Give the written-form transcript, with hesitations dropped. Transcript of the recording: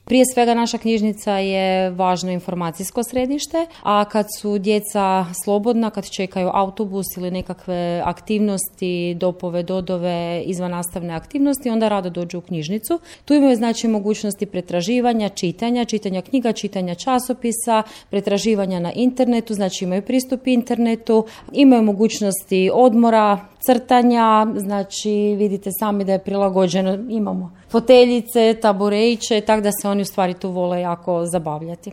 Prije svega naša knjižnica je važno informacijsko središte, a kad su djeca slobodna, kad čekaju autobus ili nekakve aktivnosti, dopove, dodove, izvannastavne aktivnosti, onda rado dođu u knjižnicu. Tu imaju znači mogućnosti pretraživanja, čitanja knjiga, čitanja časopisa, pretraživanja na internetu, znači imaju pristup internetu, imaju mogućnosti odmora, crtanja, znači vidite sami da je prilagođeno, imamo foteljice, tabureiće, tako da se oni u stvari tu vole jako zabavljati.